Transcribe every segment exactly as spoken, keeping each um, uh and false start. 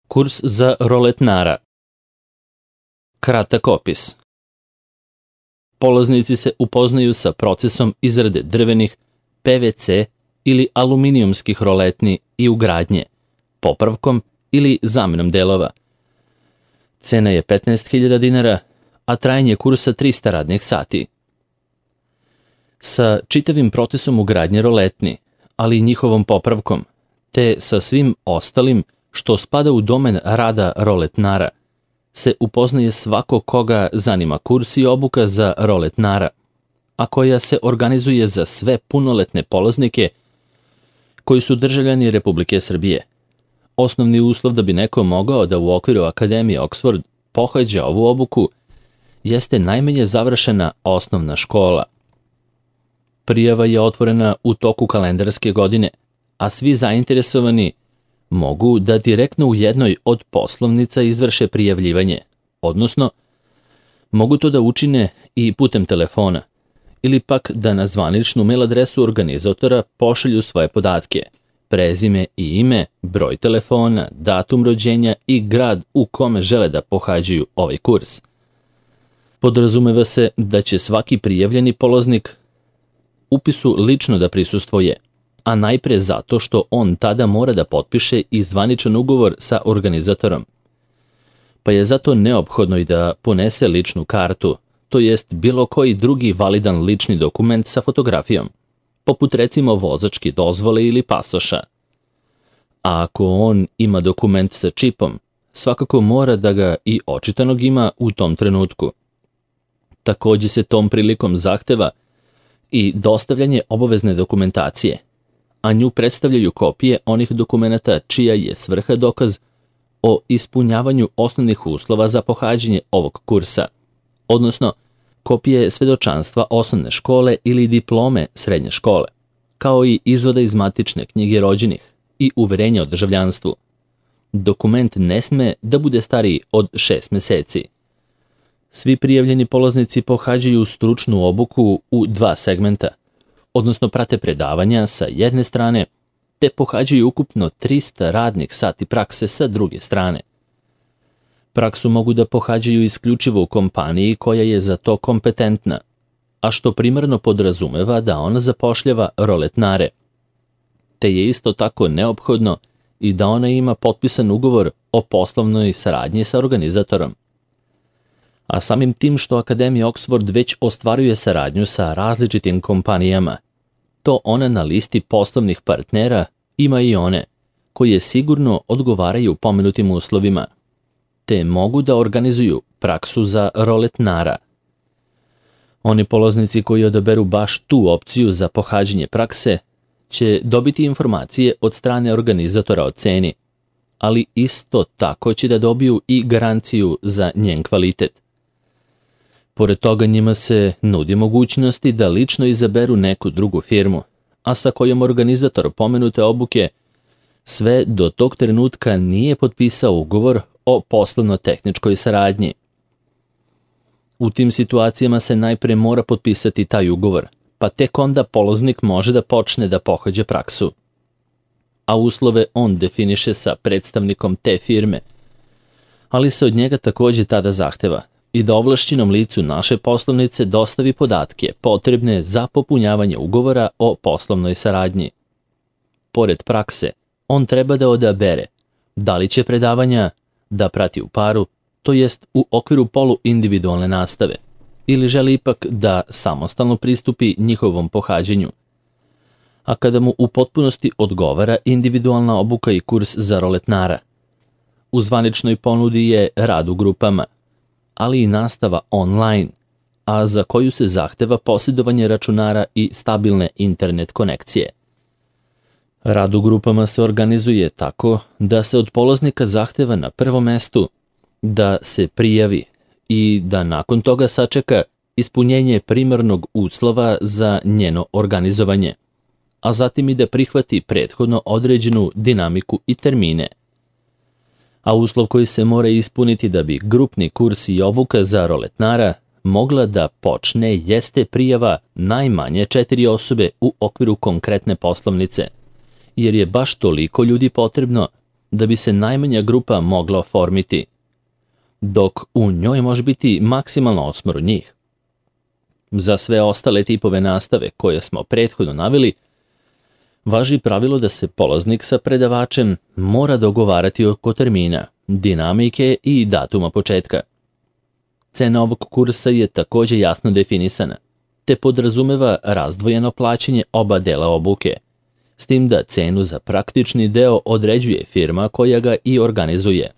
Kurs za roletnara. Kratak opis. Polaznici se upoznaju sa procesom izrade drvenih, P V C ili aluminijumskih roletni i ugradnje, popravkom ili zamenom delova. Cena je petnaest hiljada dinara, a trajanje kursa trista radnih sati. Sa čitavim procesom ugradnje roletni, ali i njihovom popravkom, te sa svim ostalim što spada u domen rada roletnara, se upoznaje svako koga zanima kurs i obuka za roletnara, a koja se organizuje za sve punoletne polaznike koji su državljani Republike Srbije. Osnovni uslov da bi neko mogao da u okviru Akademije Oxford pohađa ovu obuku jeste najmanje završena osnovna škola. Prijava je otvorena u toku kalendarske godine, a svi zainteresovani mogu da direktno u jednoj od poslovnica izvrše prijavljivanje, odnosno mogu to da učine i putem telefona, ili pak da na zvaničnu mail adresu organizatora pošalju svoje podatke, prezime i ime, broj telefona, datum rođenja i grad u kome žele da pohađaju ovaj kurs. Podrazumeva se da će svaki prijavljeni polaznik upisu lično da prisustvuje, a najpre zato što on tada mora da potpiše i zvaničan ugovor sa organizatorom. Pa je zato neophodno i da ponese ličnu kartu, to jest bilo koji drugi validan lični dokument sa fotografijom, poput recimo vozačke dozvole ili pasoša. A ako on ima dokument sa čipom, svakako mora da ga i očitanog ima u tom trenutku. Takođe se tom prilikom zahteva i dostavljanje obavezne dokumentacije, a nju predstavljaju kopije onih dokumenata čija je svrha dokaz o ispunjavanju osnovnih uslova za pohađanje ovog kursa, odnosno kopije svedočanstva osnovne škole ili diplome srednje škole, kao i izvoda iz matične knjige rođenih i uverenja o državljanstvu. Dokument ne sme da bude stariji od šest meseci. Svi prijavljeni polaznici pohađaju stručnu obuku u dva segmenta, odnosno prate predavanja sa jedne strane, te pohađaju ukupno trista radnih sati prakse sa druge strane. Praksu mogu da pohađaju isključivo u kompaniji koja je za to kompetentna, a što primarno podrazumeva da ona zapošljava roletnare, te je isto tako neophodno i da ona ima potpisan ugovor o poslovnoj saradnji sa organizatorom. A samim tim što Akademija Oxford već ostvaruje saradnju sa različitim kompanijama, to ona na listi poslovnih partnera ima i one koje sigurno odgovaraju pomenutim uslovima, te mogu da organizuju praksu za roletnara. Oni polaznici koji odaberu baš tu opciju za pohađanje prakse će dobiti informacije od strane organizatora o ceni, ali isto tako će da dobiju i garanciju za njen kvalitet. Pored toga njima se nudi mogućnosti da lično izaberu neku drugu firmu, a sa kojom organizator pomenute obuke sve do tog trenutka nije potpisao ugovor o poslovno-tehničkoj saradnji. U tim situacijama se najpre mora potpisati taj ugovor, pa tek onda polaznik može da počne da pohađa praksu. A uslove on definiše sa predstavnikom te firme, ali se od njega takođe tada zahteva i da ovlašćenom licu naše poslovnice dostavi podatke potrebne za popunjavanje ugovora o poslovnoj saradnji. Pored prakse, on treba da odabere da li će predavanja da prati u paru, to jest u okviru poluindividualne nastave, ili želi ipak da samostalno pristupi njihovom pohađenju. A kada mu u potpunosti odgovara individualna obuka i kurs za roletnara. U zvaničnoj ponudi je rad u grupama, ali i nastava online, a za koju se zahteva posjedovanje računara i stabilne internet konekcije. Rad u grupama se organizuje tako da se od polaznika zahteva na prvom mestu da se prijavi i da nakon toga sačeka ispunjenje primarnog uslova za njeno organizovanje, a zatim i da prihvati prethodno određenu dinamiku i termine. A uslov koji se mora ispuniti da bi grupni kurs i obuka za roletnara mogla da počne jeste prijava najmanje četiri osobe u okviru konkretne poslovnice, jer je baš toliko ljudi potrebno da bi se najmanja grupa mogla oformiti, dok u njoj može biti maksimalno osmoro njih. Za sve ostale tipove nastave koje smo prethodno naveli, važi pravilo da se polaznik sa predavačem mora dogovarati oko termina, dinamike i datuma početka. Cena ovog kursa je također jasno definisana, te podrazumeva razdvojeno plaćanje oba dela obuke, s tim da cenu za praktični deo određuje firma koja ga i organizuje.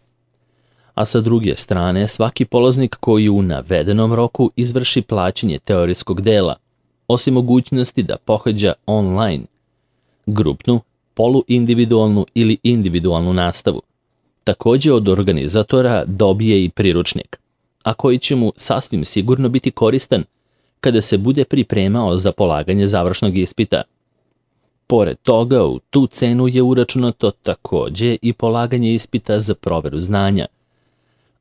A sa druge strane, svaki polaznik koji u navedenom roku izvrši plaćanje teorijskog dela, osim mogućnosti da pohađa online, grupnu, poluindividualnu ili individualnu nastavu, također od organizatora dobije i priručnik, a koji će mu sasvim sigurno biti koristan kada se bude pripremao za polaganje završnog ispita. Pored toga, u tu cenu je uračunato također i polaganje ispita za proveru znanja,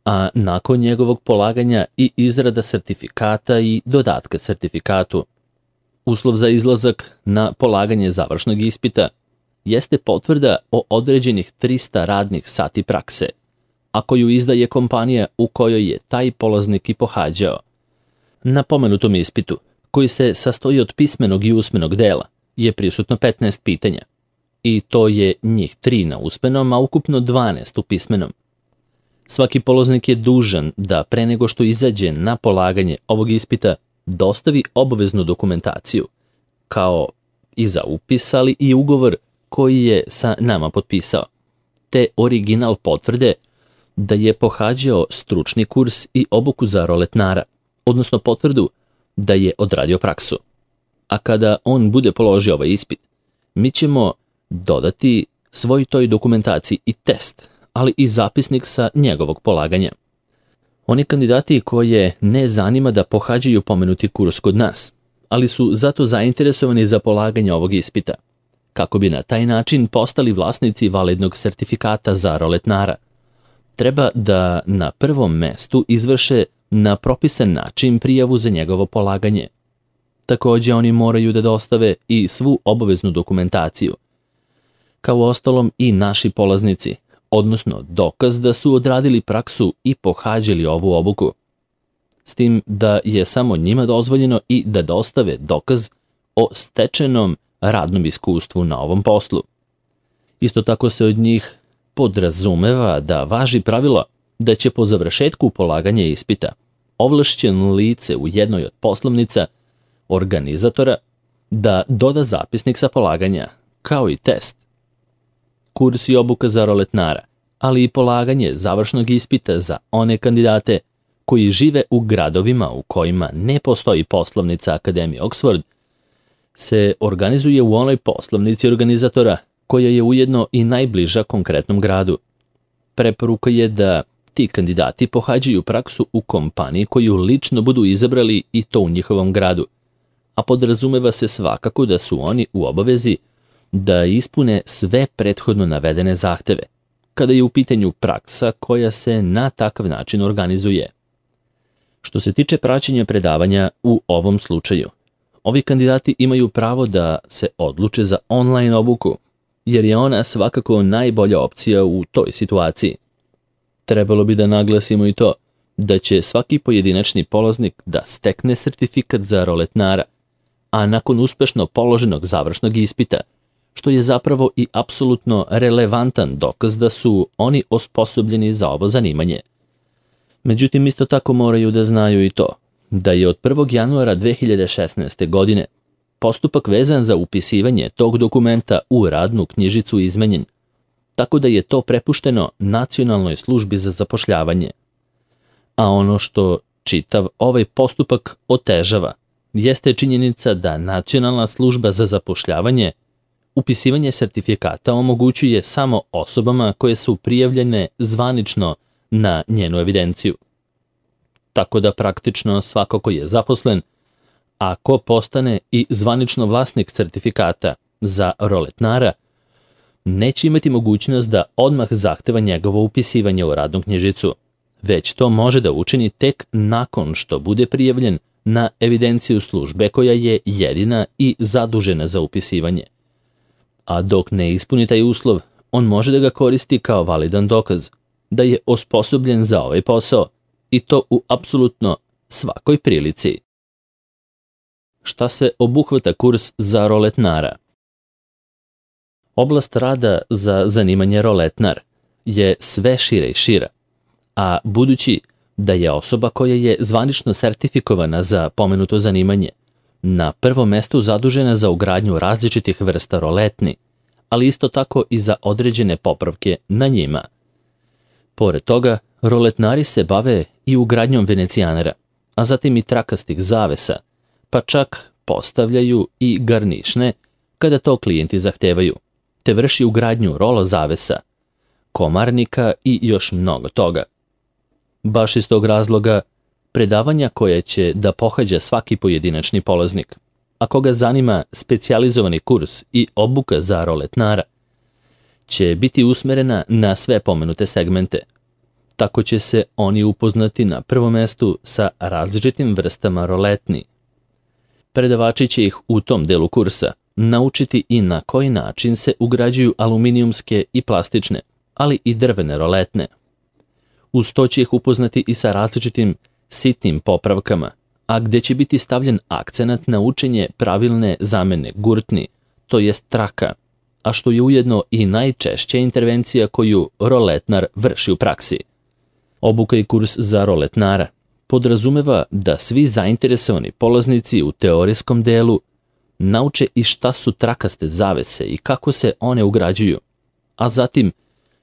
a nakon njegovog polaganja i izrada sertifikata i dodatka sertifikatu. Uslov za izlazak na polaganje završnog ispita jeste potvrda o određenih trista radnih sati prakse, a koju izdaje kompanija u kojoj je taj polaznik i pohađao. Na pomenutom ispitu, koji se sastoji od pismenog i usmenog dela, je prisutno petnaest pitanja, i to je njih tri na usmenom, a ukupno dvanaest u pismenom. Svaki polaznik je dužan da pre nego što izađe na polaganje ovog ispita dostavi obaveznu dokumentaciju, kao i za upis, ali i ugovor koji je sa nama potpisao, te original potvrde da je pohađao stručni kurs i obuku za roletnara, odnosno potvrdu da je odradio praksu. A kada on bude položio ovaj ispit, mi ćemo dodati svoj toj dokumentaciji i test, ali i zapisnik sa njegovog polaganja. Oni kandidati koje ne zanima da pohađaju pomenuti kurs kod nas, ali su zato zainteresovani za polaganje ovog ispita, kako bi na taj način postali vlasnici validnog sertifikata za roletnara, treba da na prvom mestu izvrše na propisan način prijavu za njegovo polaganje. Također oni moraju da dostave i svu obaveznu dokumentaciju, kao ostalom i naši polaznici, odnosno dokaz da su odradili praksu i pohađali ovu obuku, s tim da je samo njima dozvoljeno i da dostave dokaz o stečenom radnom iskustvu na ovom poslu. Isto tako se od njih podrazumeva da važi pravilo da će po završetku polaganja ispita ovlašćeno lice u jednoj od poslovnica organizatora da doda zapisnik sa polaganja, kao i test. Kurs i obuka za roletnara, ali i polaganje završnog ispita za one kandidate koji žive u gradovima u kojima ne postoji poslovnica Akademije Oxford, se organizuje u onoj poslovnici organizatora koja je ujedno i najbliža konkretnom gradu. Preporuka je da ti kandidati pohađaju praksu u kompaniji koju lično budu izabrali i to u njihovom gradu, a podrazumeva se svakako da su oni u obavezi da ispune sve prethodno navedene zahteve, kada je u pitanju praksa koja se na takav način organizuje. Što se tiče praćenja predavanja u ovom slučaju, ovi kandidati imaju pravo da se odluče za online obuku, jer je ona svakako najbolja opcija u toj situaciji. Trebalo bi da naglasimo i to da će svaki pojedinačni polaznik da stekne sertifikat za roletnara, a nakon uspešno položenog završnog ispita, što je zapravo i apsolutno relevantan dokaz da su oni osposobljeni za ovo zanimanje. Međutim, isto tako moraju da znaju i to da je od prvog januara dve hiljade šesnaeste. godine postupak vezan za upisivanje tog dokumenta u radnu knjižicu izmenjen, tako da je to prepušteno Nacionalnoj službi za zapošljavanje. A ono što čitav ovaj postupak otežava jeste činjenica da Nacionalna služba za zapošljavanje upisivanje sertifikata omogućuje samo osobama koje su prijavljene zvanično na njenu evidenciju. Tako da praktično svako ko je zaposlen, ako postane i zvanično vlasnik sertifikata za roletnara, neće imati mogućnost da odmah zahteva njegovo upisivanje u radnu knjižicu, već to može da učini tek nakon što bude prijavljen na evidenciju službe koja je jedina i zadužena za upisivanje. A dok ne ispuni taj uslov, on može da ga koristi kao validan dokaz da je osposobljen za ovaj posao i to u apsolutno svakoj prilici. Šta se obuhvata kurs za roletnara? Oblast rada za zanimanje roletnar je sve šira i šira, a budući da je osoba koja je zvanično sertifikovana za pomenuto zanimanje na prvom mestu zadužena za ugradnju različitih vrsta roletni, ali isto tako i za određene popravke na njima. Pored toga, roletnari se bave i ugradnjom venecijanera, a zatim i trakastih zavesa, pa čak postavljaju i garnišne kada to klijenti zahtevaju, te vrši ugradnju rolo zavesa, komarnika i još mnogo toga. Baš iz tog razloga, predavanja koje će da pohađa svaki pojedinačni polaznik, a koga zanima specijalizovani kurs i obuka za roletnara, će biti usmerena na sve pomenute segmente. Tako će se oni upoznati na prvom mestu sa različitim vrstama roletni. Predavači će ih u tom delu kursa naučiti i na koji način se ugrađuju aluminijumske i plastične, ali i drvene roletne. Uz to će ih upoznati i sa različitim sitnim popravkama, a gde će biti stavljen akcenat na učenje pravilne zamene gurtni, to jest traka, a što je ujedno i najčešća intervencija koju roletnar vrši u praksi. Obuka i kurs za roletnara podrazumeva da svi zainteresovani polaznici u teorijskom delu nauče i šta su trakaste zavese i kako se one ugrađuju, a zatim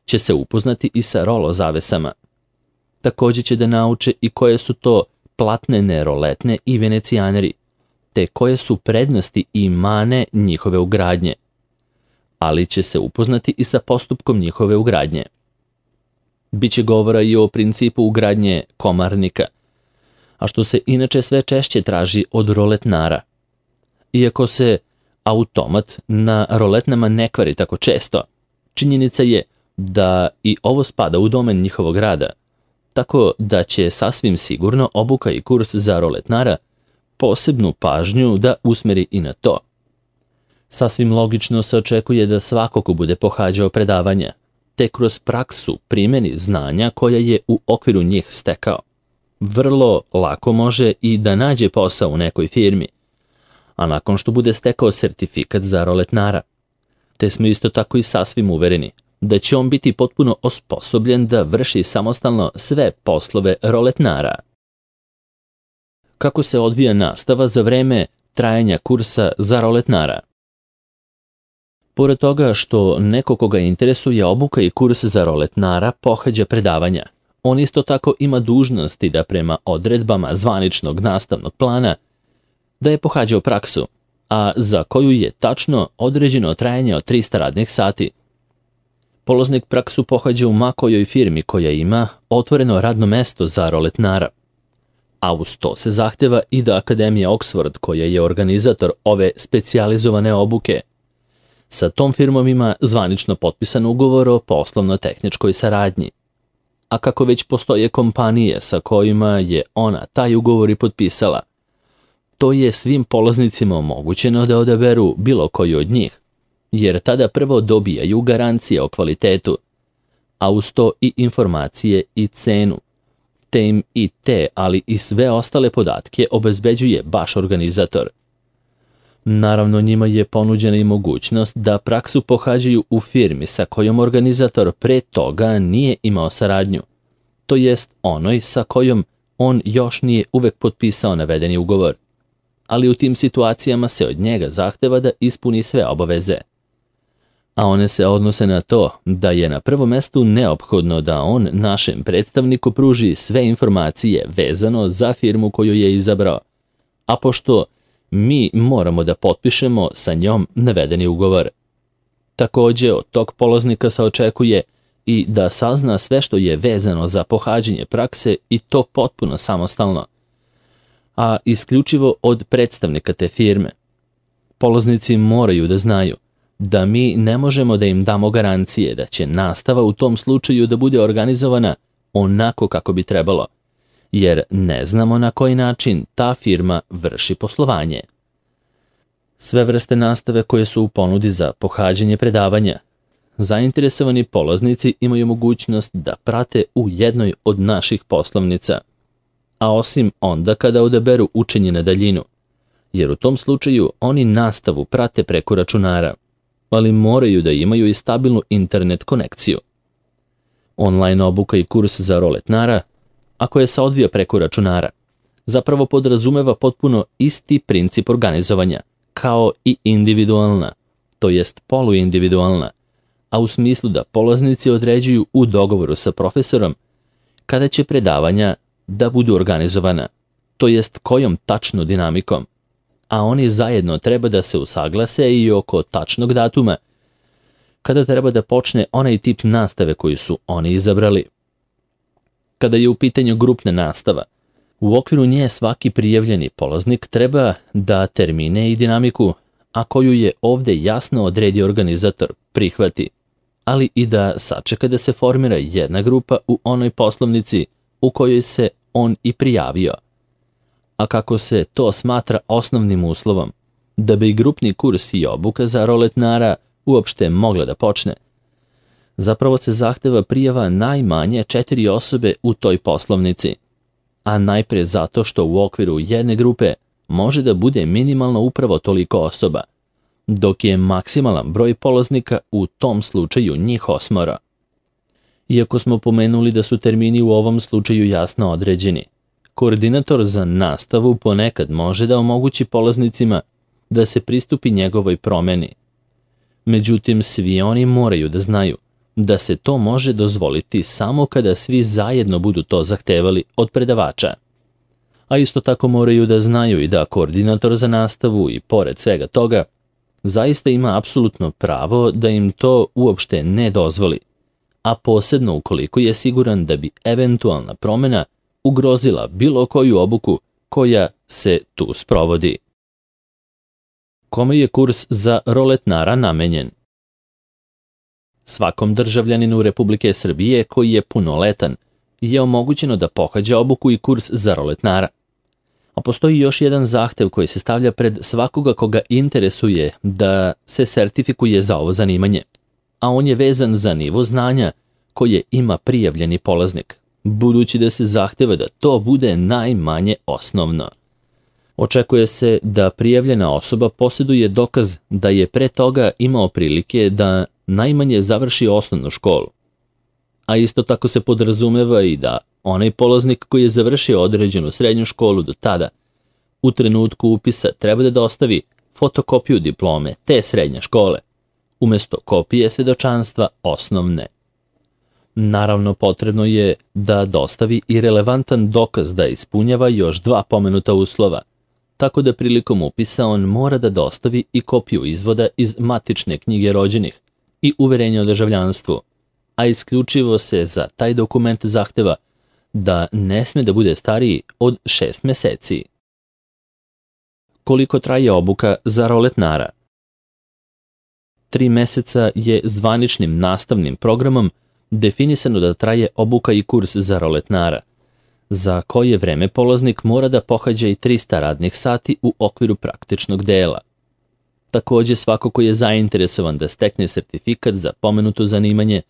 će se upoznati i sa rolo zavesama. Također će da nauče i koje su to platnene roletne i venecijaneri, te koje su prednosti i mane njihove ugradnje, ali će se upoznati i sa postupkom njihove ugradnje. Biće govora i o principu ugradnje komarnika, a što se inače sve češće traži od roletnara. Iako se automat na roletnama ne kvari tako često, činjenica je da i ovo spada u domen njihovog rada, tako da će sasvim sigurno obuka i kurs za roletnara posebnu pažnju da usmeri i na to. Sasvim logično se očekuje da svako ko bude pohađao predavanja, te kroz praksu primjeni znanja koja je u okviru njih stekao, vrlo lako može i da nađe posao u nekoj firmi, a nakon što bude stekao sertifikat za roletnara, te smo isto tako i sasvim uvereni da će on biti potpuno osposobljen da vrši samostalno sve poslove roletnara. Kako se odvija nastava za vreme trajanja kursa za roletnara? Pored toga što neko koga interesuje obuka i kurs za roletnara pohađa predavanja, on isto tako ima dužnosti da prema odredbama zvaničnog nastavnog plana da je pohađao praksu, a za koju je tačno određeno trajanje od trista radnih sati. Polaznik praksu pohađa u makojoj firmi koja ima otvoreno radno mesto za roletnara, a uz to se zahteva i da Akademija Oxford, koja je organizator ove specijalizovane obuke, sa tom firmom ima zvanično potpisan ugovor o poslovno-tehničkoj saradnji. A kako već postoje kompanije sa kojima je ona taj ugovor i potpisala, to je svim polaznicima omogućeno da odaberu bilo koju od njih, jer tada prvo dobijaju garancije o kvalitetu, a uz to i informacije i cenu, te im i te, ali i sve ostale podatke obezbeđuje baš organizator. Naravno, njima je ponuđena i mogućnost da praksu pohađaju u firmi sa kojom organizator pre toga nije imao saradnju, to jest onoj sa kojom on još nije uvek potpisao navedeni ugovor, ali u tim situacijama se od njega zahteva da ispuni sve obaveze. A one se odnose na to da je na prvom mestu neophodno da on našem predstavniku pruži sve informacije vezano za firmu koju je izabrao, a pošto mi moramo da potpišemo sa njom navedeni ugovor. Također od tog polaznika se očekuje i da sazna sve što je vezano za pohađanje prakse i to potpuno samostalno, a isključivo od predstavnika te firme. Polaznici moraju da znaju da mi ne možemo da im damo garancije da će nastava u tom slučaju da bude organizovana onako kako bi trebalo, jer ne znamo na koji način ta firma vrši poslovanje. Sve vrste nastave koje su u ponudi za pohađanje predavanja zainteresovani polaznici imaju mogućnost da prate u jednoj od naših poslovnica, a osim onda kada odaberu učenje na daljinu, jer u tom slučaju oni nastavu prate preko računara, ali moraju da imaju i stabilnu internet konekciju. Online obuka i kurs za roletnara, ako je se odvija preko računara, zapravo podrazumeva potpuno isti princip organizovanja, kao i individualna, to jest poluindividualna, a u smislu da polaznici određuju u dogovoru sa profesorom kada će predavanja da budu organizovana, to jest kojom tačno dinamikom, a oni zajedno treba da se usaglase i oko tačnog datuma kada treba da počne onaj tip nastave koju su oni izabrali. Kada je u pitanju grupna nastava, u okviru nje svaki prijavljeni polaznik treba da termine i dinamiku, a koju je ovde jasno odredio organizator, prihvati, ali i da sačeka da se formira jedna grupa u onoj poslovnici u kojoj se on i prijavio. A kako se to smatra osnovnim uslovom, da bi grupni kurs i obuka za roletnara uopšte mogla da počne, zapravo se zahteva prijava najmanje četiri osobe u toj poslovnici, a najpre zato što u okviru jedne grupe može da bude minimalno upravo toliko osoba, dok je maksimalan broj polaznika u tom slučaju njih osmora. Iako smo pomenuli da su termini u ovom slučaju jasno određeni, koordinator za nastavu ponekad može da omogući polaznicima da se pristupi njegovoj promeni. Međutim, svi oni moraju da znaju da se to može dozvoliti samo kada svi zajedno budu to zahtevali od predavača. A isto tako moraju da znaju i da koordinator za nastavu i pored svega toga zaista ima apsolutno pravo da im to uopšte ne dozvoli, a posebno ukoliko je siguran da bi eventualna promena ugrozila bilo koju obuku koja se tu sprovodi. Kome je kurs za roletnara namenjen? Svakom državljaninu Republike Srbije koji je punoletan je omogućeno da pohađa obuku i kurs za roletnara. A postoji još jedan zahtev koji se stavlja pred svakoga koga interesuje da se sertifikuje za ovo zanimanje, a on je vezan za nivo znanja koje ima prijavljeni polaznik, budući da se zahteva da to bude najmanje osnovno. Očekuje se da prijavljena osoba posjeduje dokaz da je pre toga imao prilike da najmanje završi osnovnu školu. A isto tako se podrazumeva i da onaj polaznik koji je završio određenu srednju školu do tada, u trenutku upisa treba da dostavi fotokopiju diplome te srednje škole, umesto kopije svedočanstva osnovne. Naravno, potrebno je da dostavi i relevantan dokaz da ispunjava još dva pomenuta uslova, tako da prilikom upisa on mora da dostavi i kopiju izvoda iz matične knjige rođenih i uverenja o državljanstvu, a isključivo se za taj dokument zahteva da ne sme da bude stariji od šest meseci. Koliko traje obuka za roletnara? Tri meseca je zvaničnim nastavnim programom definisano da traje obuka i kurs za roletnara, za koje vreme polaznik mora da pohađa i trista radnih sati u okviru praktičnog dela. Takođe, svako ko je zainteresovan da stekne sertifikat za pomenuto zanimanje,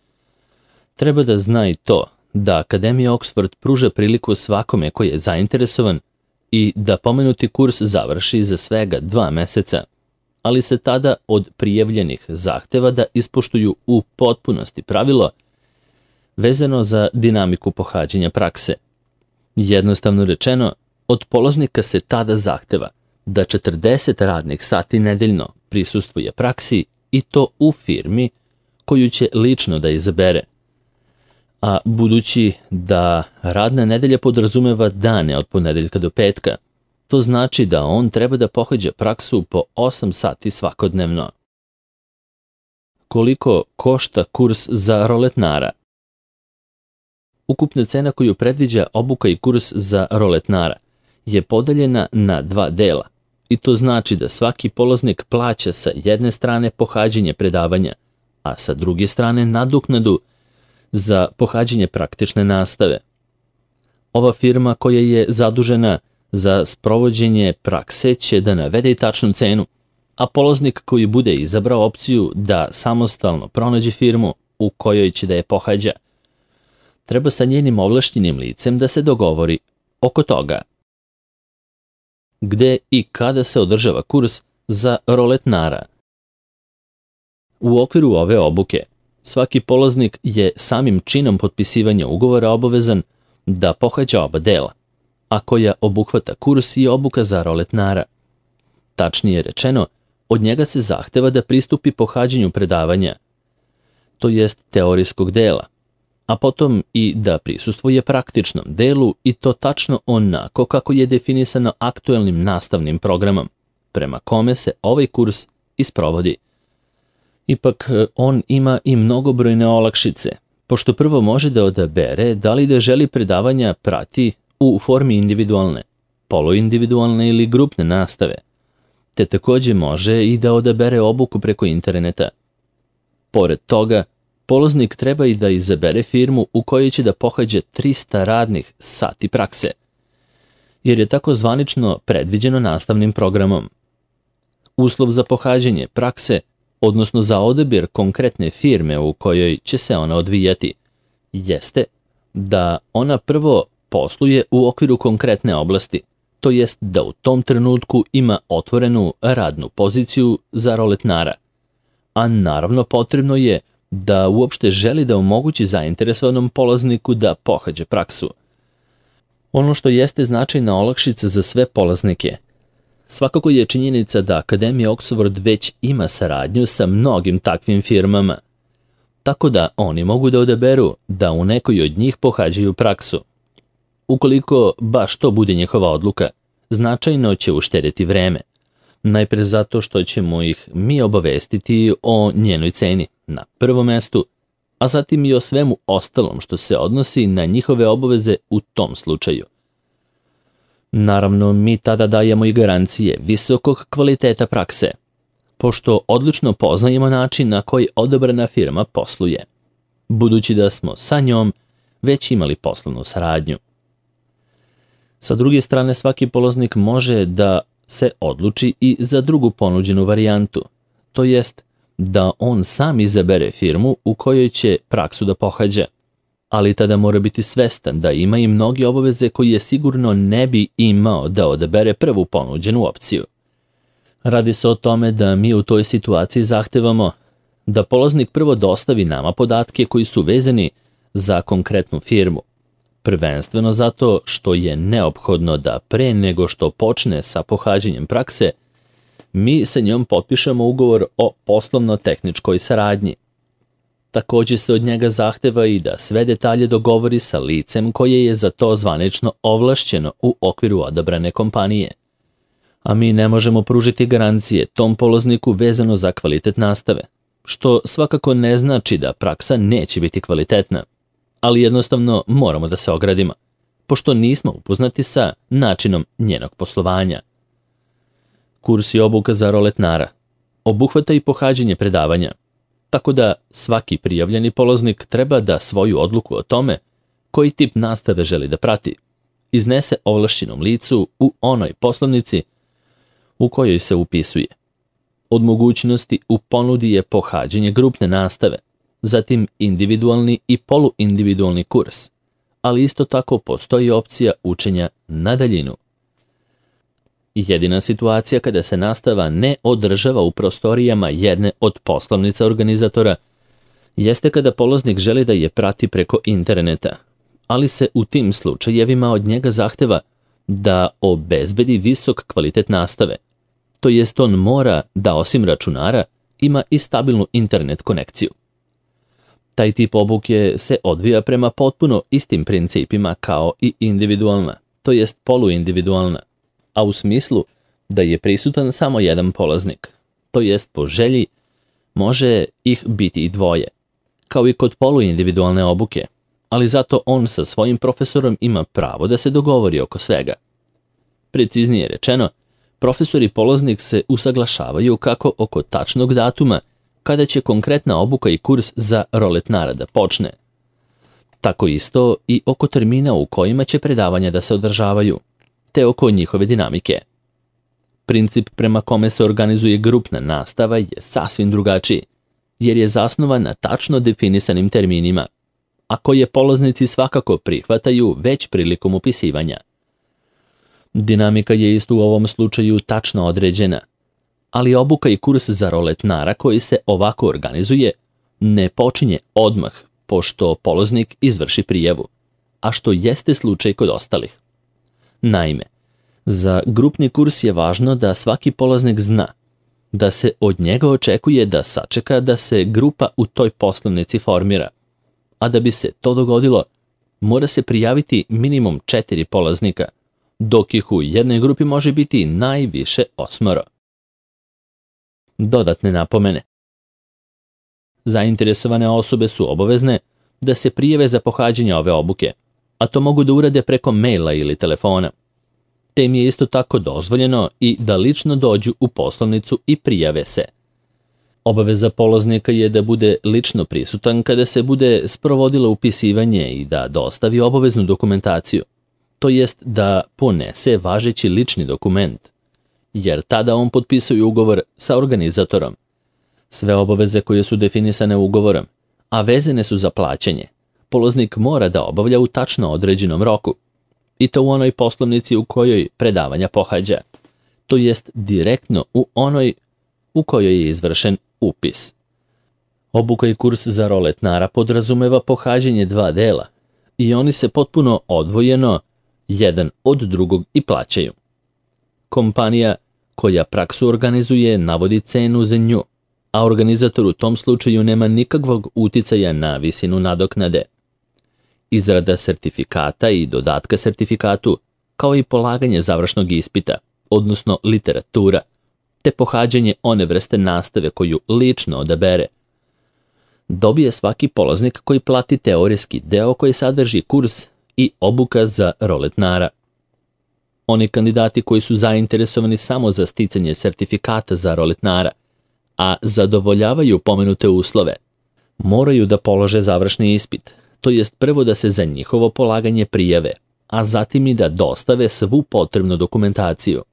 treba da zna i to da Akademija Oxford pruža priliku svakome ko je zainteresovan i da pomenuti kurs završi za svega dva meseca, ali se tada od prijavljenih zahteva da ispoštuju u potpunosti pravilo vezano za dinamiku pohađanja prakse. Jednostavno rečeno, od polaznika se tada zahteva da četrdeset radnih sati nedeljno prisustvuje praksi i to u firmi koju će lično da izabere. A budući da radna nedelja podrazumeva dane od ponedeljka do petka, to znači da on treba da pohađa praksu po osam sati svakodnevno. Koliko košta kurs za roletnara? Ukupna cena koju predviđa obuka i kurs za roletnara je podeljena na dva dela i to znači da svaki polaznik plaća sa jedne strane pohađanje predavanja, a sa druge strane nadoknadu za pohađanje praktične nastave. Ova firma koja je zadužena za sprovođenje prakse će da navede i tačnu cenu, a polaznik koji bude izabrao opciju da samostalno pronađe firmu u kojoj će da je pohađa, treba sa njenim ovlašćenim licem da se dogovori oko toga gde i kada se održava kurs za roletnara. U okviru ove obuke, svaki polaznik je samim činom potpisivanja ugovora obavezan da pohađa oba dela, a koja obuhvata kurs i obuka za roletnara. Tačnije rečeno, od njega se zahteva da pristupi pohađanju predavanja, to jest teorijskog dela, a potom i da prisustvuje praktičnom delu i to tačno onako kako je definisano aktuelnim nastavnim programom, prema kome se ovaj kurs isprovodi. Ipak, on ima i mnogobrojne olakšice, pošto prvo može da odabere da li da želi predavanja prati u formi individualne, poluindividualne ili grupne nastave, te takođe može i da odabere obuku preko interneta. Pored toga, polaznik treba i da izabere firmu u kojoj će da pohađa trista radnih sati prakse, jer je tako zvanično predviđeno nastavnim programom. Uslov za pohađanje prakse, odnosno za odabir konkretne firme u kojoj će se ona odvijati, jeste da ona prvo posluje u okviru konkretne oblasti, to jest da u tom trenutku ima otvorenu radnu poziciju za roletnara, a naravno potrebno je da uopšte želi da omogući zainteresovanom polazniku da pohađa praksu. Ono što jeste značajna olakšica za sve polaznike, svakako je činjenica da Akademija Oxford već ima saradnju sa mnogim takvim firmama, tako da oni mogu da odaberu da u nekoj od njih pohađaju praksu. Ukoliko baš to bude njihova odluka, značajno će uštedeti vreme, najpre zato što ćemo ih mi obavestiti o njenoj ceni na prvom mestu, a zatim i o svemu ostalom što se odnosi na njihove obaveze u tom slučaju. Naravno, mi tada dajemo i garancije visokog kvaliteta prakse, pošto odlično poznajemo način na koji odabrana firma posluje, budući da smo sa njom već imali poslovnu saradnju. Sa druge strane, svaki polaznik može da se odluči i za drugu ponuđenu varijantu, to jest da on sam izabere firmu u kojoj će praksu da pohađa, ali tada mora biti svestan da ima i mnoge obaveze koje sigurno ne bi imao da odabere prvu ponuđenu opciju. Radi se o tome da mi u toj situaciji zahtevamo da polaznik prvo dostavi nama podatke koji su vezani za konkretnu firmu, prvenstveno zato što je neophodno da pre nego što počne sa pohađanjem prakse, mi sa njom potpišemo ugovor o poslovno-tehničkoj saradnji. Takođe se od njega zahteva i da sve detalje dogovori sa licem koje je za to zvanično ovlašćeno u okviru odabrane kompanije. A mi ne možemo pružiti garancije tom polazniku vezano za kvalitet nastave, što svakako ne znači da praksa neće biti kvalitetna, ali jednostavno moramo da se ogradimo, pošto nismo upoznati sa načinom njenog poslovanja. Kurs i obuka za roletnara obuhvata i pohađanje predavanja, tako da svaki prijavljeni polaznik treba da svoju odluku o tome koji tip nastave želi da prati iznese ovlašćenom licu u onoj poslovnici u kojoj se upisuje. Od mogućnosti u ponudi je pohađanje grupne nastave, zatim individualni i poluindividualni kurs, ali isto tako postoji opcija učenja na daljinu. Jedina situacija kada se nastava ne održava u prostorijama jedne od poslovnica organizatora jeste kada polaznik želi da je prati preko interneta, ali se u tim slučajevima od njega zahteva da obezbedi visok kvalitet nastave, to jest on mora da osim računara ima i stabilnu internet konekciju. Taj tip obuke se odvija prema potpuno istim principima kao i individualna, to jest poluindividualna, a u smislu da je prisutan samo jedan polaznik, to jest po želji može ih biti i dvoje, kao i kod poluindividualne obuke, ali zato on sa svojim profesorom ima pravo da se dogovori oko svega. Preciznije rečeno, profesor i polaznik se usaglašavaju kako oko tačnog datuma kada će konkretna obuka i kurs za roletnara da počne, tako isto i oko termina u kojima će predavanja da se održavaju, te oko njihove dinamike. Princip prema kome se organizuje grupna nastava je sasvim drugačiji, jer je zasnovan na tačno definisanim terminima, a koje polaznici svakako prihvataju već prilikom upisivanja. Dinamika je isto u ovom slučaju tačno određena, ali obuka i kurs za roletnara koji se ovako organizuje ne počinje odmah pošto polaznik izvrši prijavu, a što jeste slučaj kod ostalih. Naime, za grupni kurs je važno da svaki polaznik zna da se od njega očekuje da sačeka da se grupa u toj poslovnici formira, a da bi se to dogodilo, mora se prijaviti minimum četiri polaznika, dok ih u jednoj grupi može biti najviše osmoro. Dodatne napomene. Zainteresovane osobe su obavezne da se prijave za pohađanje ove obuke, a to mogu da urade preko maila ili telefona. Te im je isto tako dozvoljeno i da lično dođu u poslovnicu i prijave se. Obaveza polaznika je da bude lično prisutan kada se bude sprovodilo upisivanje i da dostavi obaveznu dokumentaciju, to jest da ponese važeći lični dokument, jer tada on potpisuje ugovor sa organizatorom. Sve obaveze koje su definisane ugovorom, a vezane su za plaćanje, polaznik mora da obavlja u tačno određenom roku, i to u onoj poslovnici u kojoj predavanja pohađa, to jest direktno u onoj u kojoj je izvršen upis. Obuka i kurs za roletnara podrazumeva pohađanje dva dela i oni se potpuno odvojeno jedan od drugog i plaćaju. Kompanija koja praksu organizuje navodi cenu za nju, a organizator u tom slučaju nema nikakvog uticaja na visinu nadoknade. Izrada sertifikata i dodatka sertifikatu, kao i polaganje završnog ispita, odnosno literatura, te pohađanje one vrste nastave koju lično odabere, dobije svaki polaznik koji plati teorijski deo koji sadrži kurs i obuka za roletnara. Oni kandidati koji su zainteresovani samo za sticanje sertifikata za roletnara, a zadovoljavaju pomenute uslove, moraju da polože završni ispit, to jest prvo da se za njihovo polaganje prijave, a zatim i da dostave svu potrebnu dokumentaciju.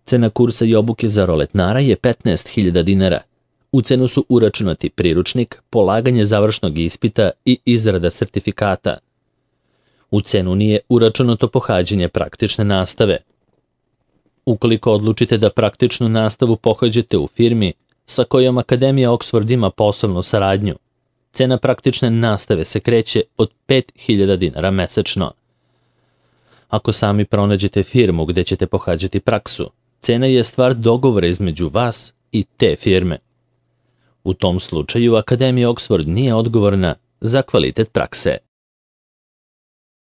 Cena kursa i obuke za roletnara je petnaest hiljada dinara. U cenu su uračunati priručnik, polaganje završnog ispita i izrada sertifikata. U cenu nije uračunato pohađanje praktične nastave. Ukoliko odlučite da praktičnu nastavu pohađate u firmi sa kojom Akademija Oxford ima poslovnu saradnju, cena praktične nastave se kreće od pet hiljada dinara mesečno. Ako sami pronađete firmu gde ćete pohađati praksu, cena je stvar dogovora između vas i te firme. U tom slučaju Akademija Oxford nije odgovorna za kvalitet prakse.